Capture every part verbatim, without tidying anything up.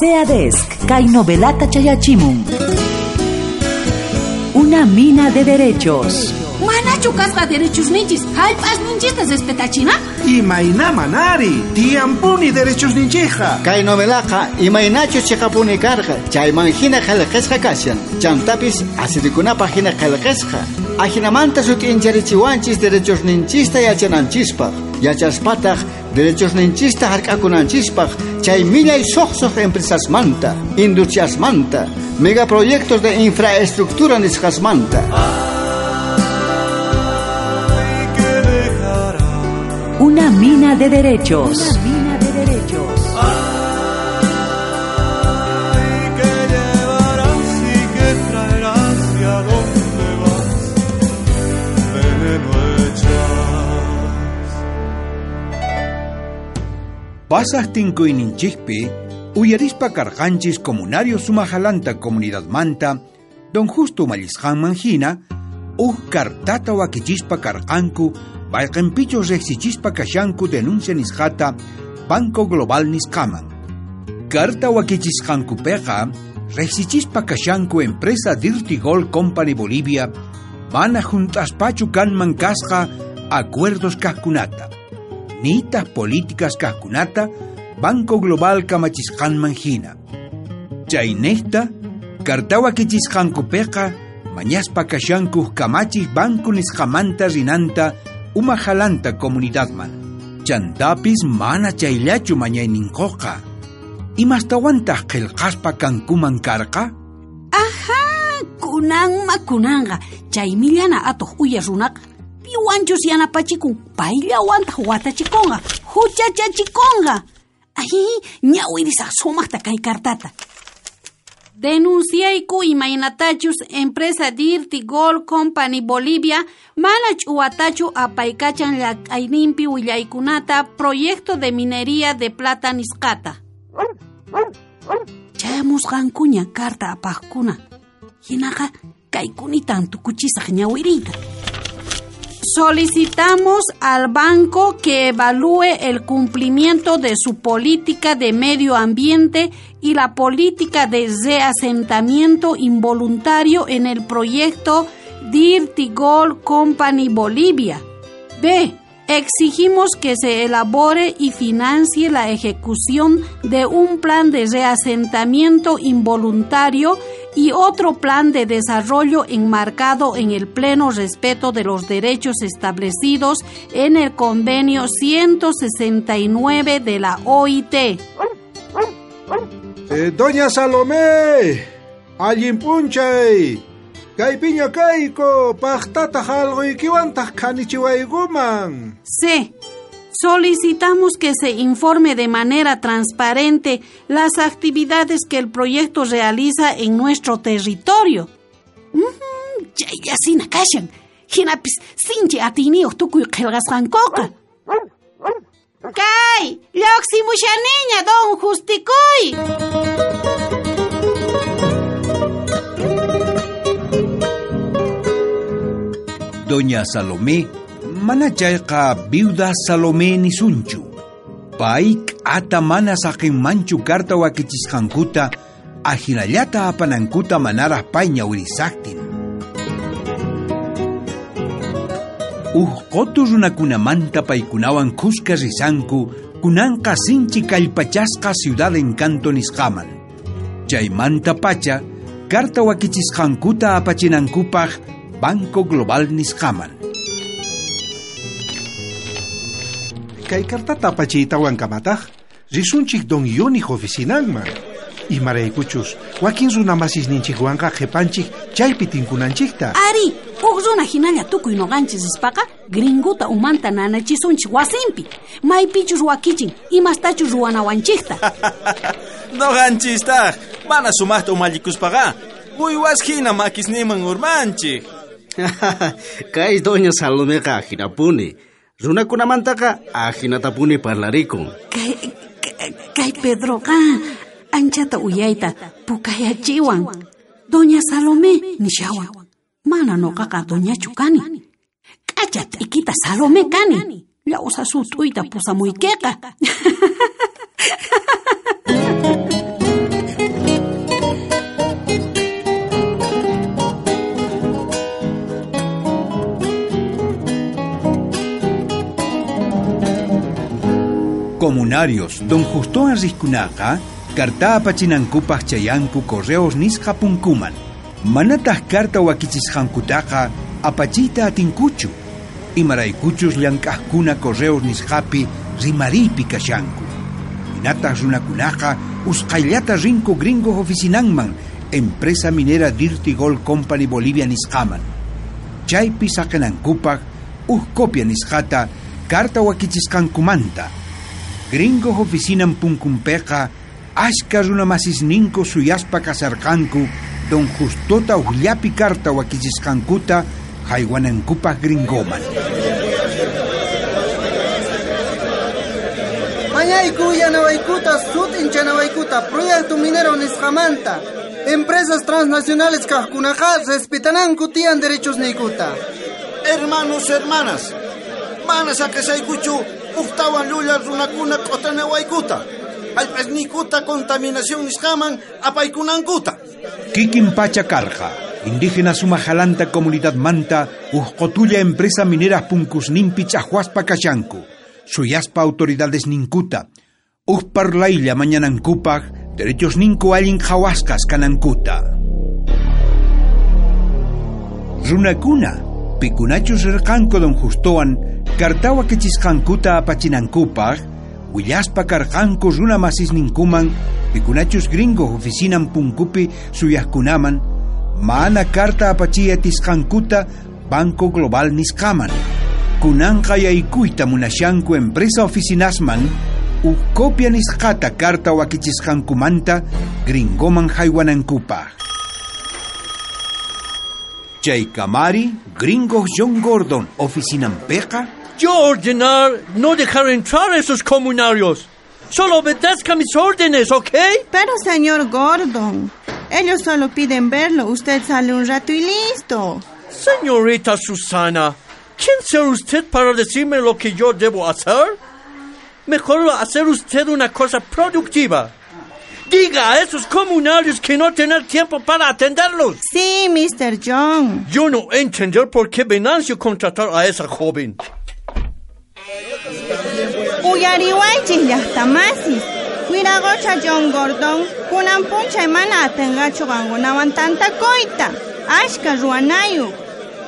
SEADESC, kay novelata chayachimun. Una mina de derechos. Manachu kasqa derechos ninchis, hallp'as ninchista respetachina? Imayna manari, tiyampuni derechos ninchija. Kay novelaqa imaynachus chiqapuni karqa, chayman hina qillqasqa kashan. Chantapis asirikunapaq hina qillqasqa. Ajinamanta sut'incharichiwanchis derechos ninchista yachananchispaq. Yachaspataq derechos ninchista hark'akunanchispaq, chay millay suqsuq empresasmanta, industriasmanta, megaproyectos de infraestructura nisqasmanta. Una mina de derechos. Una mina de derechos. Ay, que llevarás y que traerás y a dónde vas, veneno echas. Pasaq tinkuyninchikpi uyarispa karqanchis comunario sumajalanta comunidadmanta don Justo mallisqanman hina uj kartata wakichispa karqanku bayqinpichus riqsichispa kashanku denuncia nisqata Banco Global nisqaman. Karta wakichisqankupiqa riqsichispa kashanku empresa Dirty Gold Company Bolivia mana junt'aspachu kanman kasqa acuerdos kaqkunata nitaq políticas kaqkunata Banco Global kamachisqanman hina. Chaynejta karta wakichisqankupiqa mañaspa kashanku kamachij banco nisqamanta rinanta umajalanta comunidadman. Chantapis mana chayllachu mañayninquqa. Imastawantaq qillqaspa kankuman karqa? Ajá, kunanma kunanqa chay millana atuq uya runaqa piwanchus yanapachikun payllawantaq watachikunqa huchachachikunqa. Ay, ñawirisaq sumaqta kay kartata. Denunciayku imaynatachus empresa Dirty Gold Company Bolivia mana ch'uwatachu apaykachan llak'ayninpi willaykunata proyecto de minería de plata nisqata. Chayamusqankuña karta apaqkuna. Hinaqa kaykunitan tukuchisaq ñawiriyta. Solicitamos al banco que evalúe el cumplimiento de su política de medio ambiente y la política de reasentamiento involuntario en el proyecto Dirty Gold Company Bolivia. B. Exigimos que se elabore y financie la ejecución de un plan de reasentamiento involuntario y otro plan de desarrollo enmarcado en el pleno respeto de los derechos establecidos en el convenio ciento sesenta y nueve de la O I T. Eh, Doña Salomé, allin p'unchay, kaypiña kayku, paqtataq alquykiwantaq khanichiwaykuman. C. Solicitamos que se informe de manera transparente las actividades que el proyecto realiza en nuestro territorio. Mm, chaylla kashan, hinapis sinchi atiyniyuq tukuy qillqasqankuqa. Kay, lluqsimushaniña don Justikuy. Doña Salomé mana chayqa viuda Salomé nisunchu. Pay k'ata mana saqinmanchu karta wakichisqankuta ajinallata apanankuta manaraq pay ñawirisaqtin. Uj qutu runakunamanta paykunawan khuska risanku kunanqa sinchi kallpachasqa Ciudad Encanto nisqaman. Chaymanta pacha karta wakichisqankuta apachinankupaq Banco Global nisqaman. Kay kartata apachiytawan kamataq risunchik don Yonij oficinanman. Imaraykuchus wakin runamasisninchikwanqa qhipanchik chaypi tinkunanchikta. Ari, huk runa hinalla tukuy noqanchis rispaqa gringuta umanta nanachisunchik wasinpi. Maypichus wakichin imastachus ruwanawanchikta. Noqanchistaq mana sumaqta umallikuspaqa uywas hina makisninman urmanchik. Kay doña Salomeqa ajinapuni. Runakunamantaqa ajinatapuni parlarikun. Kay, kay Pedroqa anchata uyayta pukayachiwan. Doña Salomé nishawan. Mana noqaqa doñachu kani. K'acha t'ikita Salomé kani. Llawsa sut'uyta pusamuykiqa. Comunarios don Justowan riqkunaqa carta apachinankupaq chayanku correos nisqa punkuman. Manataq carta wakichisqankutaqa apachiyta atinkuchu. Imaraykuchus llank'aqkuna correos nisqapi rimariypi kashanku. Hinataq runakunaqa usqhayllata rinku gringo oficinanman empresa minera Dirty Gold Company Bolivia nisqaman. Chaypi saqinankupaq uj copia nisqata carta wakichisqankumanta. Gringo oficinan punkunpiqa ashka runamasisninku suyaspa kasarqanku don Justota ujllapi carta wakichisqankuta haywanankupaq gringoman. Mañayku yanawaykuta sut'inchanawaykuta proyecto minero nisqamanta. Empresas transnacionales kaqkunaqa respetananku tiyan derechos niykuta. Hermanos, hermanas, mana saqesaykuchu ujtawan llulla runakuna q'utanawaykuta. Jallp'asniykuta contaminación nisqaman apaykunankuta. Kikin pacha karqa. Indígena sumajalanta comunidad manta uj qotulla empresa minera punkusninpi ch'ajwaspa kashanku. Suyaspa autoridades ninkuta. Uj parlaylla mañanankupaq derechos ninku allin qhawasqas kanankuta. Runakuna pikunachus rirqanku don Justowan carta wakichisqankuta apachinankupaq willaspa karqanku runa masisninkuman pikunachus gringo oficinan punkupi suyaqkunaman mana carta apachiy atisqankuta Banco Global nisqaman. Kunanqa yaykuyta munashanku empresa oficinasman uj copia nisqata carta wakichisqankumanta gringoman haywanankupaq. Chay kamari gringo John Gordon oficinanpiqa. Yo ordenar no dejar entrar a esos comunarios. Solo obedezca mis órdenes, ¿ok? Pero señor Gordon, ellos solo piden verlo. Usted sale un rato y listo. Señorita Susana, ¿quién será usted para decirme lo que yo debo hacer? Mejor hacer usted una cosa productiva. Diga a esos comunarios que no tener tiempo para atenderlos. Sí, mister John. Yo no entender por qué Venancio contratar a esa joven. Uyariwaychis llaqtamasis. Wiraqocha John Gordon, kunan p'unchay mana atinqachu qankunawan tantakuyta. Ashka ruwanayuq.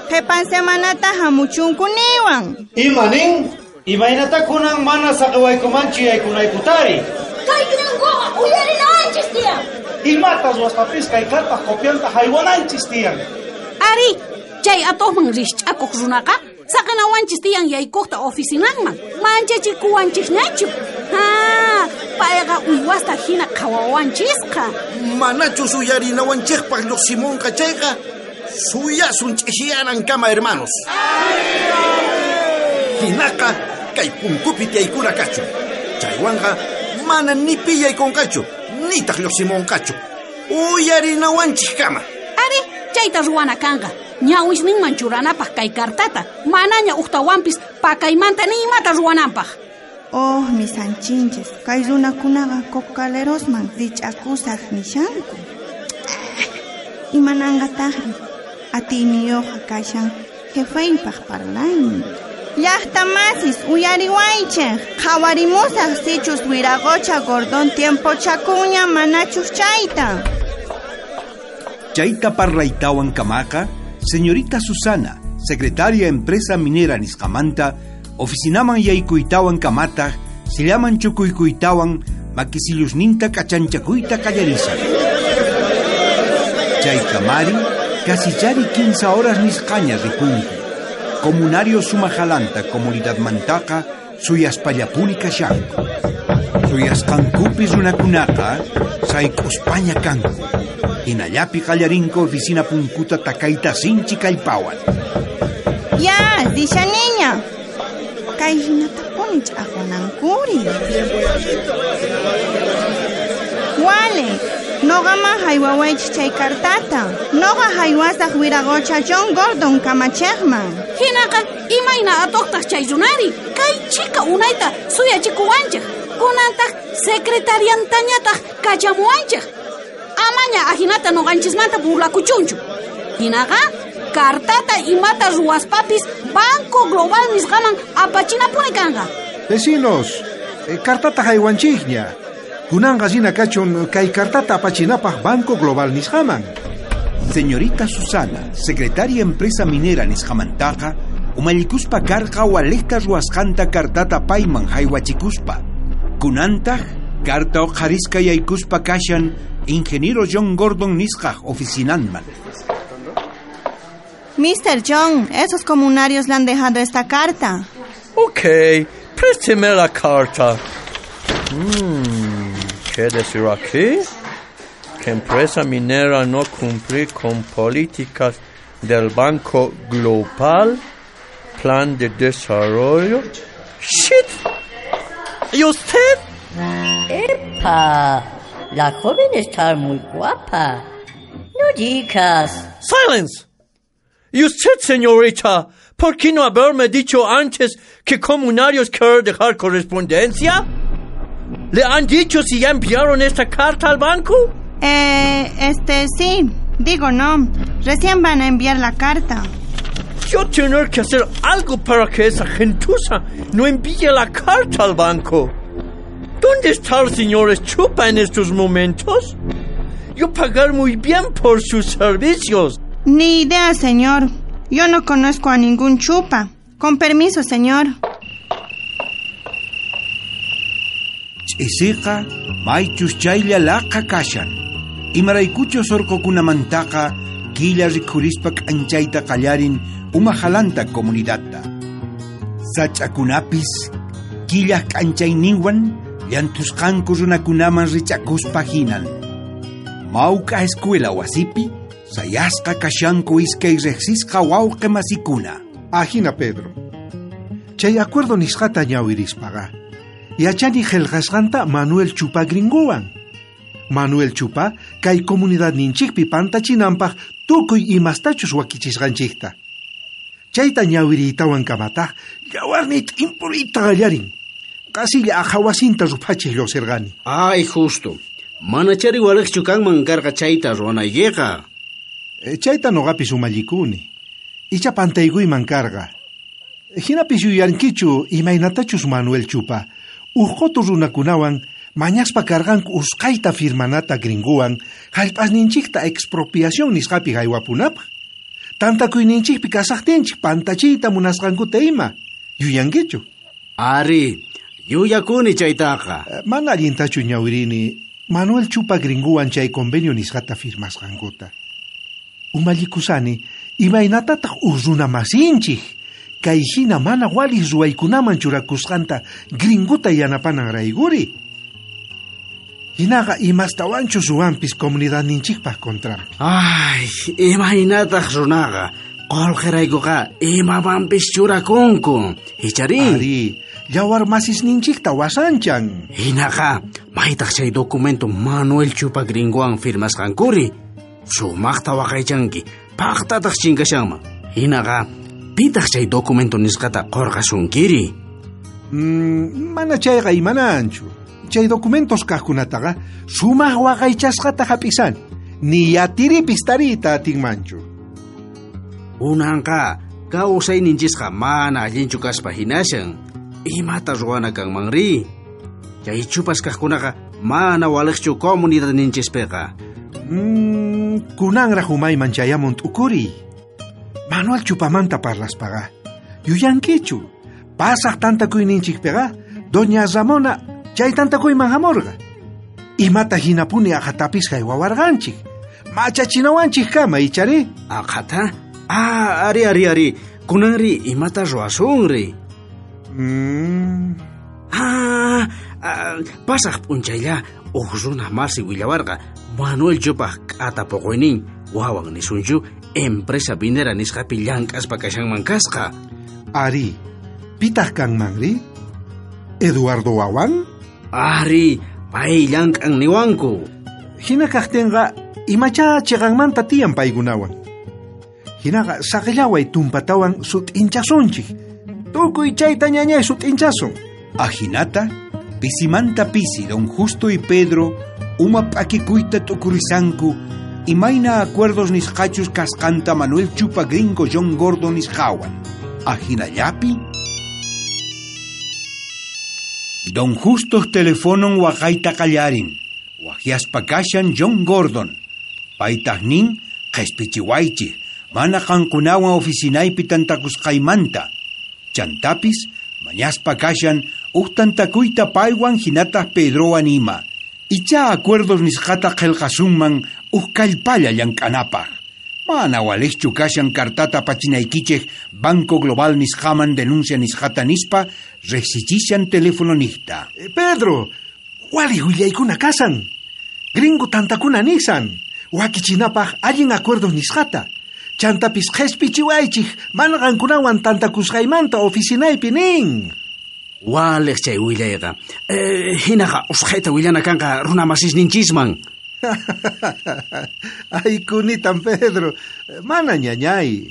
Qhipan semanata hamuchunku niwan. Ima nin? Imaynata kunan mana saqiwaykumanchu yaykunaykutari? Kay gringoqa uyarinawanchis tiyan. Imata ruwaspapis kay cartaq copianta haywananchis tiyan. Ari, chay atuqman rikch'akuq runaqa saqinawanchis tiyan yaykuqta oficinanman. Manchachikuwanchikñachu. Ha, payqa uywasta hina qhawawanchisqa. Manachus uyarinawanchikpaq lluqsimunqa chayqa suyasun ch'isiyanankama, hermanos. Hinaqa kay punkupi tiyaykuna kachun. Chaywanqa mana ni pi yaykunqachu, nitaq lluqsimunqachu. Uyarinawanchikkama. Ari, chayta ruwana kanqa. Ñawisninman churanapaq kay cartata, manaña uqtawanpis pakaymanta ni imata ruwananpaq. Oh, mis anchinches, kay runakunaqa cocalerosman rich'akusaq nishanku. Imananqataqri, atiyniyuqqa kashan jefeypaq parlaynin. Llaqtamasis uyariwaychej, qhawarimusaq sichus wiraqocha Gordon tiempochakuña manachus chayta. Chayta parlaytawan kamaqa, señorita Susana, secretaria empresa minera nisqamanta, oficinaman yaykuytawan kamataq, sillaman chukuykuytawan, makisillusninta k'achanchakuyta qallarisan. Chay kamari, kasichari quince horas nisqaña ripunku. Comunario sumajalanta comunidad mantaqa suyaspallapuni kashanku. Suyasqankupi runakunaqa sayk'uspaña kanku. Hinallapi qallarinku oficina punkuta takayta sinchi kallpawan. Ya, rishaniña. Kay hinatapuni ch'aqwanankuri. Wale, noqaman haywawaychis chay cartata. Noqa haywasaq wiraqocha John Gordon kamachejman. Hinaqa imayna atuqtaq chay runari. Kay chika unayta suyachikuwanchik. Kunantaq secretariantañataq kachamuwanchik. Amaña ahinata noqanchismanta burlakuchunchu. Hinaqa cartata imata ruwaspapis Banco Global nisqaman apachinapuni kanqa. Vecinos, E, cartata haywanchikña. Kunanqa rina kachun kay cartata apachinapaq Banco Global nisqaman. Señorita Susana, secretaria empresa minera nisqamantaqa, umallikuspa karqa walejta ruwasqanta cartata payman haywachikuspa. Kunantaq carta uqharisqa yaykuspa kashan ingeniero John Gordon nisqaj oficinanman. mister John, esos comunarios le han dejado esta carta. Ok, présteme la carta. Hmm, ¿qué decir aquí? Que empresa minera no cumplir con políticas del Banco Global, plan de desarrollo. ¡Shit! ¿Y usted? ¡Epa! La joven está muy guapa. No digas. ¡Silence! ¿Y usted, señorita, por qué no haberme dicho antes que comunarios quieren dejar correspondencia? ¿Le han dicho si ya enviaron esta carta al banco? Eh, este, sí. Digo no. Recién van a enviar la carta. Yo tener que hacer algo para que esa gentuza no envíe la carta al banco. ¿Dónde está el señor Chupa en estos momentos? Yo pagar muy bien por sus servicios. Ni idea, señor. Yo no conozco a ningún Chupa. Con permiso, señor. Ch'isiqa maychus chaylla laqa kashan. Imaraykuchus urqukunamantaqa killa rikhurispa k'anchayta qallarin umajalanta comunidadta. Sach'akunapis killaj k'anchayninwan llanthusqanku runakunaman rich'akuspa hinan. Mawk'a escuela wasipi sayasqa kashanku iskay riqsisqa wawqi masikuna. Ajina, Pedro. Chay acuerdo nisqata ñawirispaqa yachani qillqasqanta Manuel Chupa gringowan. Manuel Chupa kay comunidadninchikpi pantachinanpaq tukuy imastachus wakichisqanchikta. Chayta ñawiriytawan kamataq yawarniy t'impuriyta qallarin. Qasilla aqhawasinta ruphachiq lluqsirqani. Ay, justo. Manachari waliqchu kanman karqa chayta ruwanaykiqa. E, chayta noqapis umallikuni. Icha pantaykuyman karqa. Hinapis yuyankichu imaynatachus Manuel Chupa uj qotu runakunawan mañaspa karqanku usqhayta firmanata gringowan hallp'asninchikta expropiación nisqapi haywapunapaq. Tantakuyninchikpi kasaqtinchik pantachiyta munasqankuta ima. Yuyankichu? Ari, yuyakuni chaytaqa. Mana allintachu ñawirini Manuel Chupa gringowan chay convenio nisqata firmasqankuta. Umallikusani imaynatataq uj runa masinchik kay hina mana waliq ruwaykunaman churakusqanta gringuta yanapanan rayguri. Hinaqa imastawanchus ruwanpis comunidadninchikpaq contranpi. Ay, imaynataq runaqa qullqiraykuqa imamanpis churakunku. Ichari? Ari, yawar masisninchikta wasanchan. Hinaqa, maytaq chay documento Manuel Chupa gringowan firmasqankuri. Sumaqta waqaychanki, paqtataq chinkashanman. Hinaqa, pitaq chay documento nisqata qurqasunkiri? Mm, mana chayqa imananchu. Chay documentos kaqkunataqa sumaq waqaychasqata hap'isani. Ni yatiripis tariyta atinmanchu. Unanqa kawsayninchisqa mana allinchu kaspa hinashan. Imata ruwana kanmanri? Chay chupas kaqkunaqa mana waliqchu comunidadninchispiqa. Mm, kunanraq umayman chayamun t'ukuriy. Manuel Chupamanta parlaspaqa yuyankichu. Pasaq tantakuyninchikpiqa doña Ramona chay tantakuyman hamurqa. Imata hinapuni aqhatapis haywawarqanchik. Machachinawanchik kama ichari? Aqhata? Ah, ari, ari, ari. Kunanri imata ruwasunri. Mm. Ah, ah, pasaq p'unchaylla uj runa masi willawarqa Manuel Chupaq k'ata puquynin wawan nisunchu empresa minera nisqapi llank'aspa kashanman kasqa. Ari, pitaq kanmanri? Eduardo wawan? Ari, pay llank'an niwanku. Hina kaqtinqa imacha chiqanmanta tiyan paykunawan. Hinaqa saqillaway tumpatawan sut'inchasunchik. Tukuy chayta ñañay sut'inchasun. Ajinata, pisimanta pisi don Justo y Pedro uma p'akikuyta t'ukurisanku imayna acuerdos nisqachus kasqanta Manuel Chupa gringo John Gordon nisqawan. Ajinallapi Don Justo telefonon waqayta qallarin. Waqyaspa kashan John Gordon. Paytaq nin qhispichiwaychik, mana qankunawan oficinaypi tantakusqaymanta. Chantapis mañaspa kashan uj tantakuyta paywan hinataq Pedrowan ima. Icha acuerdos nisqata qillqasunman uj kallpalla llank'anapaq. Mana waliqchu kashan kartata pachinaykichik Banco Global nisqaman denuncia nisqata nispa riqsichishan teléfono niqta. Eh, Pedro, wali willaykuna kasan. Gringo tantakuna nisan. Wakichinapaq allin acuerdos nisqata. Chantapis qhispichiwaychik mana qankunawan tantakusqaymanta oficinaypi nin. Waliq chay willayqa. Eh, hinaqa usqhayta willana kanqa runa masisninchisman. Ay, kunitan Pedro, mana ñañay,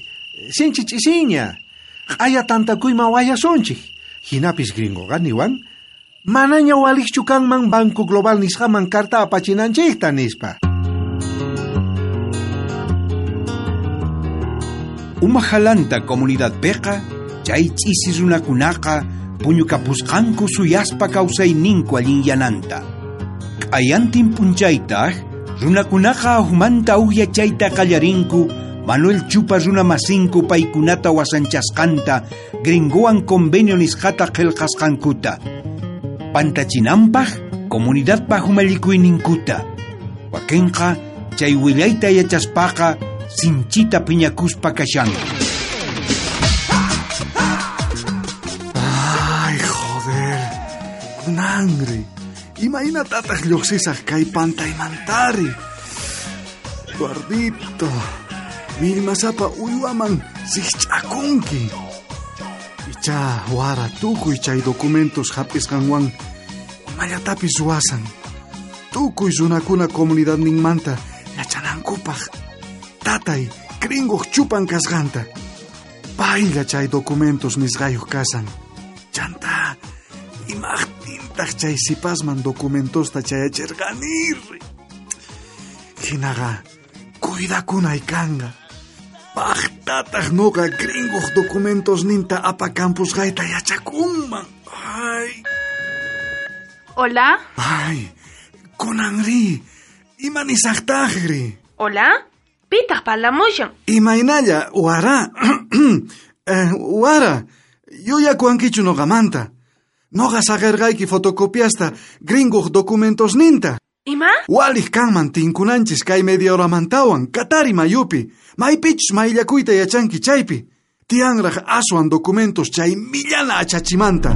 sinchi ch'isiña, q'aya tantakuyman wayasunchik, hinapis gringoqa niwan, manaña waliqchu kanman Banco Global nisqaman carta apachinanchikta nispa. Umajalanta comunidad peqa, chay ch'isi runakunaqa puñukapusqanku suyaspa kawsayninku allinyananta. Q'ayantin p'unchaytaq runakunaqa ahumanta uhyachayta qallarinku Manuel Chupa runa masinku paykunata wasanchasqanta gringowan convenio nisqata qillqasqankuta. Pantachinanpaq comunidadpaq umallikuyninkuta. Wakinqa chay willayta yachaspaqa sinchita piñakuspa kashanku. Ay, joder, kunanri. Imaynatataq lluqsisaq kay pantaymantari. Eduardito, millmasapa uywaman sikch'akunki. Icha wara tukuy chay documentos hap'isqanwan imallatapis ruwasan. Tukuy runakuna comunidadninmanta yachanankupaq. Tatay gringoq chupan kasqanta. Paylla chay documentos nisqayuq kasan. Chanta, imaqtintaq chay sipasman documentosta chayachirqanirri. Hinaqa cuidakunay kanqa. Paqtataq noqa gringoq documentosninta apakampusqayta yachakunman. Ay. Hola. Ay, kunanri, ima nisaqtaqri. Hola. Pitaq parlamushan. Imaynalla, wara. eh, wara, yuyakuankichu noqamanta. Noqa saqerqayki fotocopiasta gringoq documentosninta. Ima? Waliq kanman tinkunanchis kay media horamantawan, Katari mayupi. Maypichus mayllakuyta yachanki chaypi. Tiyanraq aswan documentos chay millana achachimanta.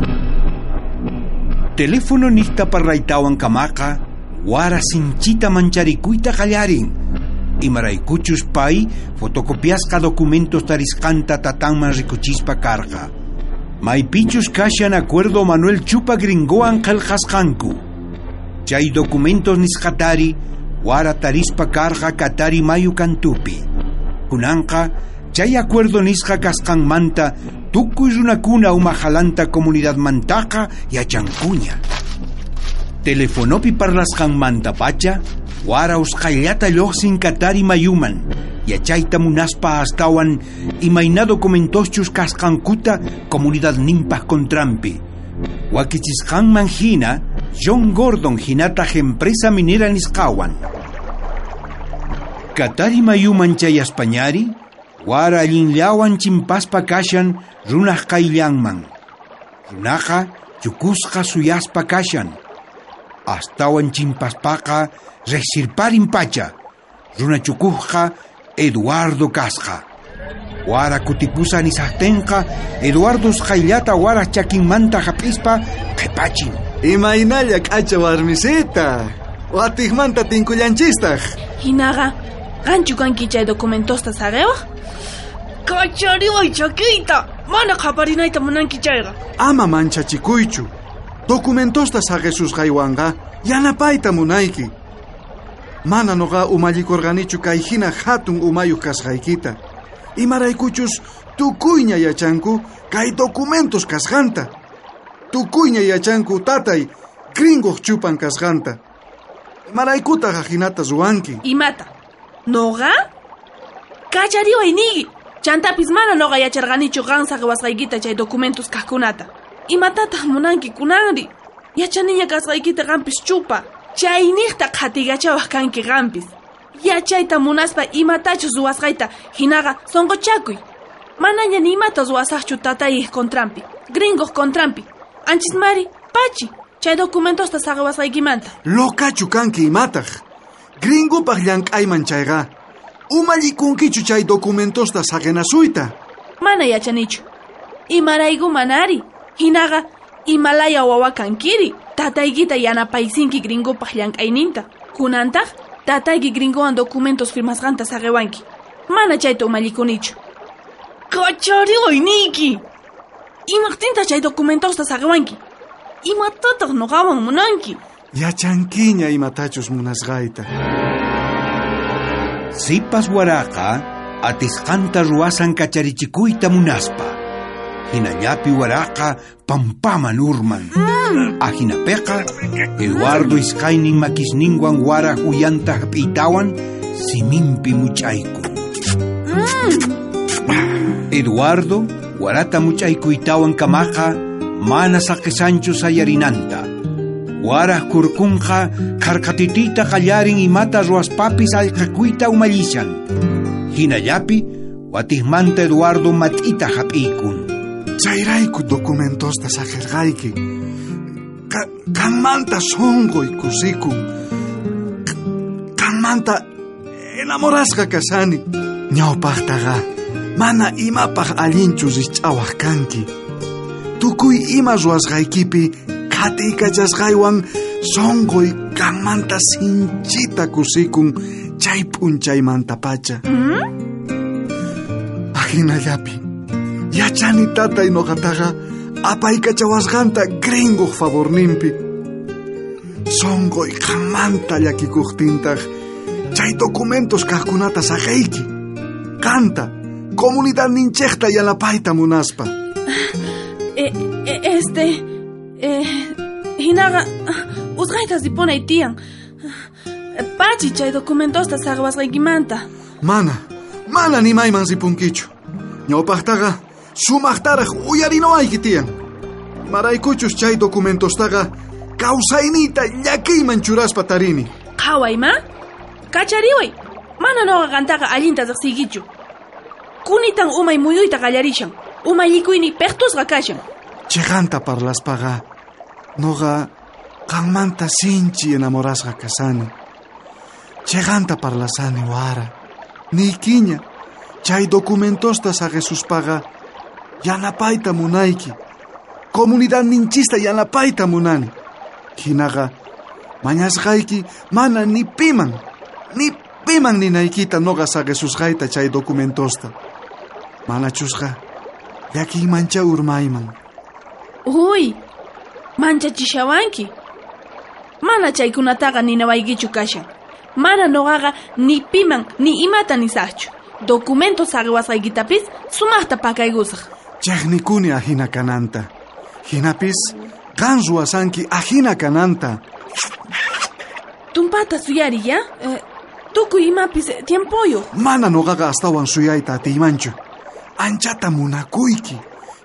Teléfono niqta parlaytawan kamaqa, wara sinchita mancharikuyta qallarin. Imaraykuchus pay fotocopiasqa documentos tarisqanta tatanman rikuchispa karqa. Maypichus kashan acuerdo Manuel Chupa gringowan qillqasqanku. Chay documentos nisqatari wara tarispa karqa Katari mayu kantupi. Kunanqa chay acuerdo nisqa kasqanmanta tukuy runakuna umajalanta comunidadmantaqa yachankuña. Telefonopi parlasqanmanta pacha wara usqhayllata lluqsin Katari mayuman. Yachayta munaspa astawan imayna documentoschus kasqankuta comunidadninpaq contranpi. Wakichisqanman hina John Gordon hinataq empresa minera nisqawan. Katari mayuman chayaspañari, wara allinllawan chimpaspa kashan runaq qayllanman. Runaqa chukusqa suyaspa kashan. Astawan chimpaspaqa riqsirparin pacha. Runa chukuqqa Eduardo kasqa. Wara kutipusa nisaqtinqa Eduardo usqhayllata wara chakinmanta hap'ispa qhipachin. Imaynalla k'acha warmisita. Watiqmanta tinkullanchistaq. Hinaqa, qanchu kanki chay documentosta saqiwaq? Kachariway chakiyta, mana qaparinayta munanki chayqa. Ama manchachikuychu. Documentosta saqisusqaywanqa yanapayta munayki. Mana noqa umallikurqanichu kay hina hatun umayuq kasqaykita. Imaraykuchus tukuyña yachanku kay documentos kasqanta. Tukuyña yachanku tatay gringoq chupan kasqanta. Imaraykutaq ajinata ruwanki. Imata? Noqa? Kachariway niyki. Chantapis mana noqa yacharqanichu qan saqiwasqaykita chay documentos kaqkunata. Imatataq munanki kunanri? Yachaniña kasqaykita qampis chupa. Chayniqta qhatigachawaq kanki qampis. Yachayta munaspa imatachus ruwasqayta hinaqa sonqochakuy. Manaña ni imata ruwasaqchu tatayij contrampi, gringoq contrampi. Anchis mari, pachi, chay documentosta saqewasqaykimanta. Lokachu kanki imataq. Gringopaq llank'ayman chayqa. Umallikunkichu chay documentosta saqenasuyta. Mana yachanichu. Imarayku manari. Hinaqa imalaya wawa kankiri. Tataykita yanapaysinki gringopaq llank'ayninta. Kunantaq tatayki gringowan documentos firmasqanta saqewanki. Mana chayta umallikunichu. Kachariway niyki. Imaqtinta chay documentosta saqewanki. Imatataq nuqawan munanki. Yachankiña imatachus munasqayta. Sipas waraqa atisqanta ruwasan kacharichikuyta munaspa. Hinallapi waraqa pampaman urman. Ajinapeqa Eduardo iskaynin makisninwan waraj uyanta hap'iytawan siminpi much'aykun. Eduardo warata much'aykuytawan kamaqa mana saqisanchu sayarinanta. Waraj kurkunqa kharkatitiyta qallarin imata ruwaspapis allqakuyta umallishan. Hinallapi watijmanta Eduardo mat'ita hap'iykun. Chayrayku documentosta saqerqayki. Qanmanta sonqoy kusikun. Qanmanta enamorasqa kashani. Ñawpaqtaqa mana imapaq allinchu rich'awaq kanki. Tukuy ima ruwasqaykipi qhatiykachasqaywan sonqoy qanmanta sinchita kusikun chay p'unchaymantapacha. Ajinallapi yachani tatay noqataqa apaykachawasqanta gringoq favorninpi. Sonqoy qanmanta llakikuqtintaq chay documentos kaqkunata saqeyki. Qanta comunidadninchikta yanapayta munaspa. Eh, eh, este... Eh, hinaqa usqhayta ripunay tiyan. Pachi chay documentosta saqewasqaykimanta. Mana, mana ni mayman ripunkichu. Ñawpaqtaqa sumaqtaraq uyarinawayki tiyan. Maraykuchus chay documentostaqa kawsayniyta llakiyman churaspa tarini. Qhaway ma? Kachariway. Mana nuqa qantaqa allinta riqsiykichu. Kunitan umay muyuyta qallarishan. Umallikuyni peqtusqa kashan. Chiqanta parlaspaqa noqa qanmanta sinchi enamorasqa kasani. Chiqanta parlasani wara. Niykiña chay documentosta saqesuspaqa yanapayta munayki. Comunidadninchista yanapayta munani. Hinaqa mañasqayki mana ni piman, ni piman ninaykita noqa saqesusqayta chay documentosta. Manachusqa llakiymancha urmayman. Uy, manchachishawanki. Mana chaykunataqa ninawaykichu kashan. Mana noqaqa ni piman ni imata nisaqchu. Documento saqewasqaykitapis sumaqta pakaykusaq. Chaqnikuni ajina kananta. Hinapis qan ruwasanki ajina kananta. Tumpata suyari, ya? Eh, tukuy imapis tiempoyuq. Mana noqaqa astawan suyayta atiymanchu. Anchata munakuyki.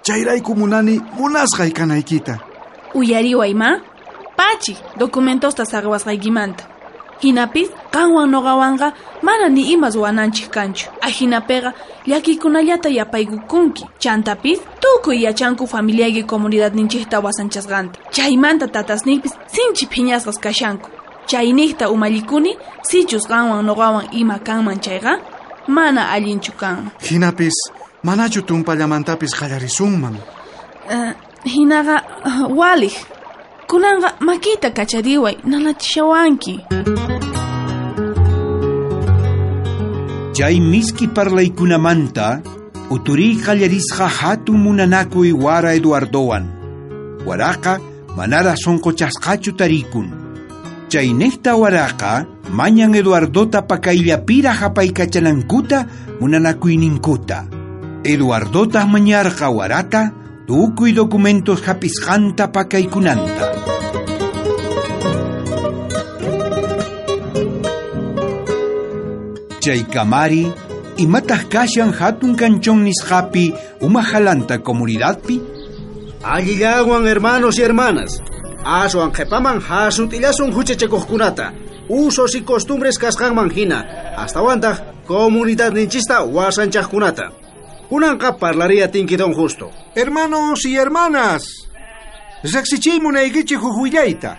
Chayrayku munani munasqay kanaykita. Uyariway ma? Pachi, documentosta saqewasqaykimanta. Hinapis qanwan noqawanqa mana ni ima ruwananchik kanchu. Ajinapiqa llakiykunallata yapaykukunki. Chantapis tukuy yachanku familiayki comunidadninchikta wasanchasqanta. Chaymanta tatasniypis sinchi phiñasqas kashanku. Chayniqta umallikuni sichus qanwan noqawan ima kanman chayqa mana allinchu kanman. Hinapis manachu tumpallamantapis qallarisunman. Uh, hinaqa uh, waliq. Kunanqa makita kachariway nanachishawanki. Chay miski parlaykunamanta uturiy qallarisqa hatun munanakuy wara Eduardowan. Waraqa manara sonqochasqachu tarikun. Chaynejta waraqa mañan Eduardota pakayllapira hapaykachanankuta munanakuyninkuta. Eduardota mañarqa warata tukuy documentos hapisqanta pakaykunanta. Chay kamari imataq kashan hatun kanchon nisqapi umajalanta comunidadpi. Allillawan hermanos y hermanas. Aswan qhipaman hasut'illasun huchachakuqkunata. Usos y costumbres kasqanman hina. Astawantaq comunidadninchista wasanchaqkunata. Kunanqa parlariya tinki don Justo. Hermanos y hermanas, riqsichiy munaykichik huk willayta.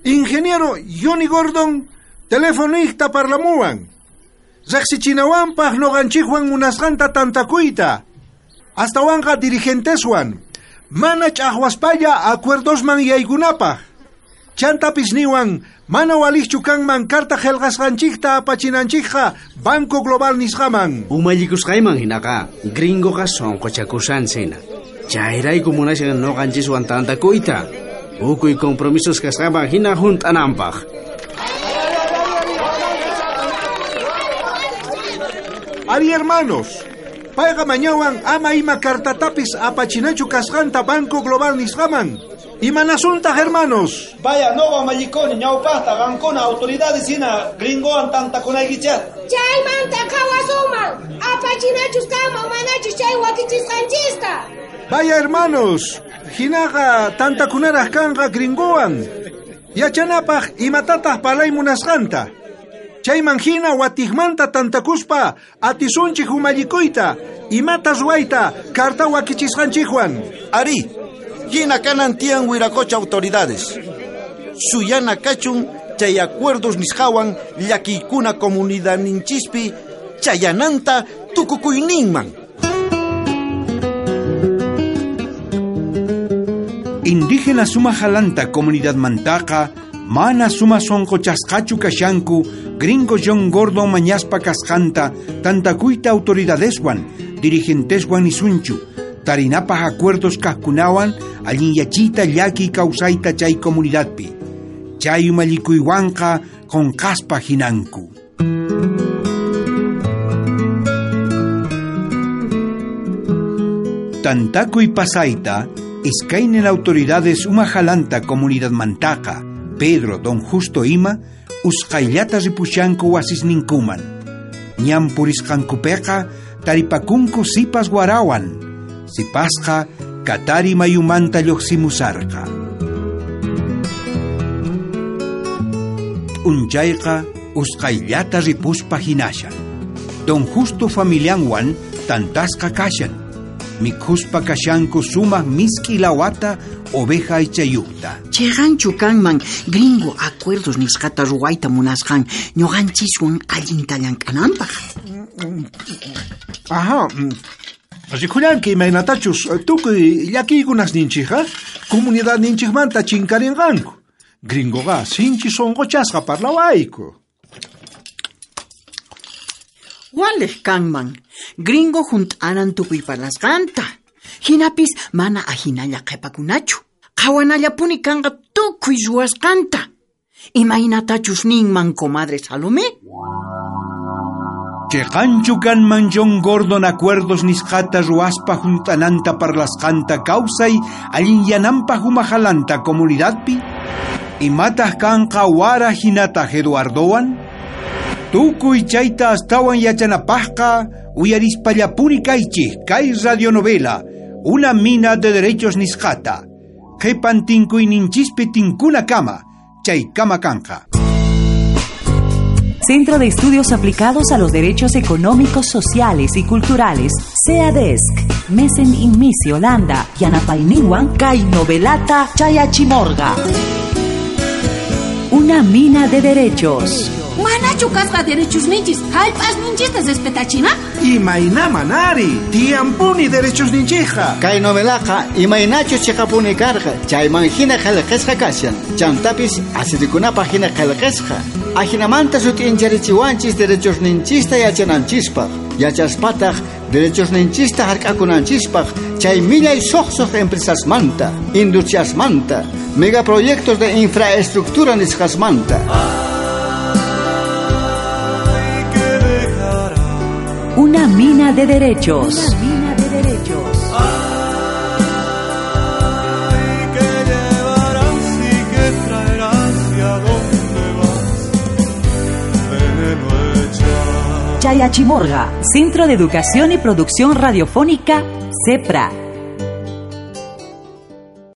Ingeniero Johnny Gordon telefonista parlamuwan. Riqsichinawanpaq noqanchikwan munasqanta tantakuyta. Astawanqa dirigenteswan. Mana ch'aqwaspalla acuerdosman yaykunapaq. Chantapis niwan mana waliqchu kanman carta qillqasqanchikta apachinanchikqa Banco Global nisqaman. Umallikusqayman hinaqa gringoqa sunquchakushan hina. Chayrayku munashan noqanchiswan tantakuyta. Ukuy compromisos kasqanman hina hunt'ananpaq. Ari hermanos, payqa mañawan ama ima cartatapis apachinachu kasqanta Banco Global nisqaman. Imanasuntaj hermanos. Vaya noqa mallikoni ñawpaqta qankuna autoridades hina gringowan tantakunaykichaq. Chaymanta qhawasuman apachinachus kanman manachus chay wakichisqanchista. Vaya hermanos, hinaqa tantakunaraq kanqa gringowan. Yachanapaq imatataq parlay munasqanta. Chayman hina watiqmanta tantakuspa atisunchik umallikuyta imata ruwayta carta wakichisqanchikwan. Ari, hina kanan tiyan wiracocha autoridades. Suyana kachun chay acuerdos nisqawan llakiykuna comunidadninchispi chayananta tukukuyninman. Indígena sumajalanta comunidad mantaqa mana suma sonqochasqachu kashanku gringo John Gordon mañaspa kasqanta tantakuyta autoridadeswan dirigenteswan nisunchu tarinapaq acuerdos kaqkunawan allinyachiyta llaki kawsayta chay comunidadpi chay umallikuywanqa qunqaspa hinanku. Tantakuy pasayta iskaynin autoridades umajalanta comunidad mantaqa Pedro, don Justo ima usqayllata ripushanku wasisninkuman. Ñan purisqankupiqa taripakunku sipas warawan. Sipasqa katari mayumanta lluqsimusarqa. Unchayqa usqayllata ripuspa hinashan. Don Justo familianwan tantasqa kashan. Mikhuspa kashanku sumaq misk'i lawata oveja aychayuqta. Chiqanchu kanman gringo acuerdos nisqata ruwayta munasqan ñuqanchiswan allinta llank'ananpaq. Ajá. Rikullanki imaynatachus tukuy llakiykunasninchikqa comunidadninchikmanta chinkarinqanku. Gringoqa sinchi sunquchasqa parlawayku. Waliq kanman gringo hunt'anan tukuy parlasqanta. Hinapis mana ahinalla qhipakunachu. Qhawanallapuni kanqa tukuy ruwasqanta. Imaynatachus ninman comadre Salomé? Chiqanchu kanman John Gordon acuerdos nisqata ruwaspa hunt'ananta parlasqanta kawsay allinyananpaq umajalanta comunidadpi? Imataq kanqa wara hinataq Eduardowan? Tukuy chayta astawan yachanapaqqa uyarispallapuni kaychik kay radionovela Una mina de derechos nisqata. Qhipan tinkuyninchispi tinkunakama chaykama kanqa. Centro de Estudios Aplicados a los Derechos Económicos, Sociales y Culturales, CEADESC, Mesen Inmisi, Holanda, Yanapayninwan, kay novelata Chayachimorga. Una mina de derechos. Manachu kasqa derechos ninchis, hallp'as ninchista respetachina? Imaynama nari, tiyampuni derechos ninchikqa. Kay novelaqa imaynachus chiqapuni karqa, chayman hina qillqasqa kashan. Chantapis asirikunapaq hina qillqasqa. Ajinamanta sut'incharichiwanchis derechos ninchista yachananchispaq. Yachaspataq derechos ninchista hark'akunanchispaq chay millay suqsuq empresasmanta, industriasmanta, megaproyectos de infraestructura nisqasmanta. Una mina de derechos. Una mina de derechos. Ay, que llevarás y que traerás y a dónde vas, veneno echas. Chayachimorga, Centro de Educación y Producción Radiofónica, CEPRA.